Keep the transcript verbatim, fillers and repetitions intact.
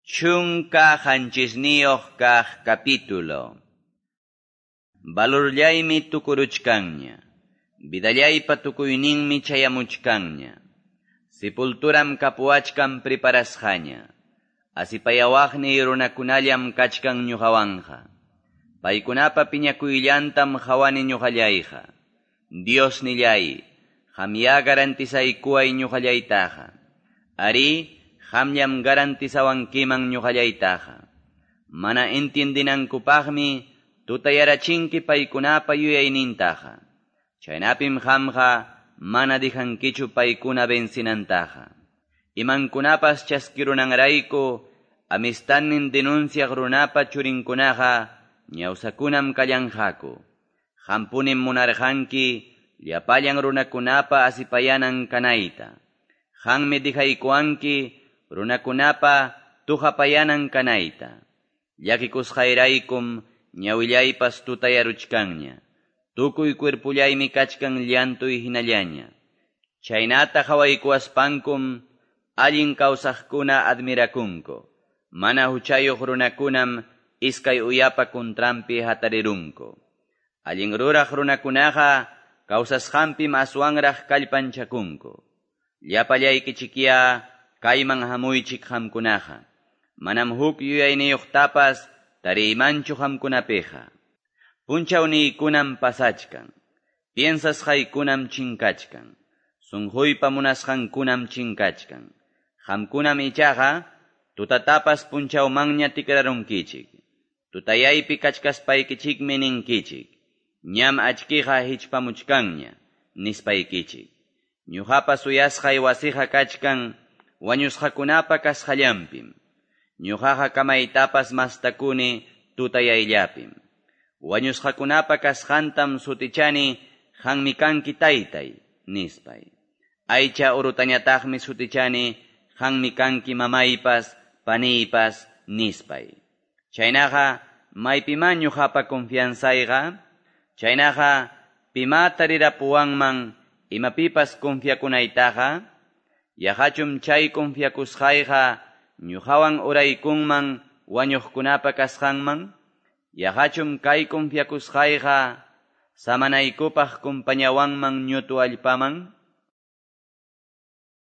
Chunka qanchisniyuq kaq capítulo. Valorllaymi tukuruchkanña. Vidallaypa tukuyninmi chayamuchkanña. Sepulturam kapuwachkan preparasqaña. Asipayawaqniy runakunallam kachkan ñuqawanqa. Paykunapa piñakuyllantam qawani ñuqallayqa. Dios nillay, qamyá garantizaykuway ñuqallaytaqa. Ari, qamllam garantizawankiman ñuqallaytaqa. Mana entiendinankupaqmi tutayarachinki paykunapa yuyaynintaqa. Chaynapim qamqa mana dijankichu paykuna vencinantaqa. Imankunapas chaskirunanrayku amistannin denunciaq runapa churinkunaqa ñawsakunam kallanqaku. Qampunim munarqanki llapallan runakunapa asipayanan kanayta. Qanmi dijaykuwanki runakunapa tuhapayanan kanayta. Llakikusqayraykum ñawillaypas tutayaruchkanña. Tukuy cuerpullaymi kachkan llantuy hinallaña. Chaynata qhawaykuwaspankum allin kawsaqkuna admirakunku. Mana huchayuq runakunam iskay uyapa kuntranpi hatarirunku. Allin ruraq runakunaqa kawsasqanpim aswanraq kallpanchakunku. Llapallaykichikya kayman hamuychik qamkunaqa. Manam huk yuyayniyuqtapas tariymanchu qamkunapiqa. Punchawniykunam pasachkan. Piensasqaykunam chinkachkan. Sunquypa munasqankunam chinkachkan. Qamkunam ichaqa tutatapas punchawmanña tikrarunkichik. Tutayaypi kachkaspaykichikmi ninkichik. Ñam achkiqa hichpamuchkanña, nispaykichik. Ñuqapa suyasqay wasiqa kachkan wañusqakunapa kasqallanpim. Ñuqaqa kamaytapas mastakuni tutayayllapim. Wañusqakunapa kasqantam sutichani qanmi kanki taytay, nispay. Aycha urutañataqmi sutichani qanmi kanki mamaypas, paniypas, nispay. Chaynaqa maypimá ñuqapa confianzayqa? Chaynaqa pimá tarirapuwanman imapipas confiakunaytaqa? Yaqachum chay confiakusqayqa ñuqawan uraykunman wañuqkunapa kasqanman? Yaqachum kay confiakusqayqa samanaykupaq kumpañawanman ñutu allpaman?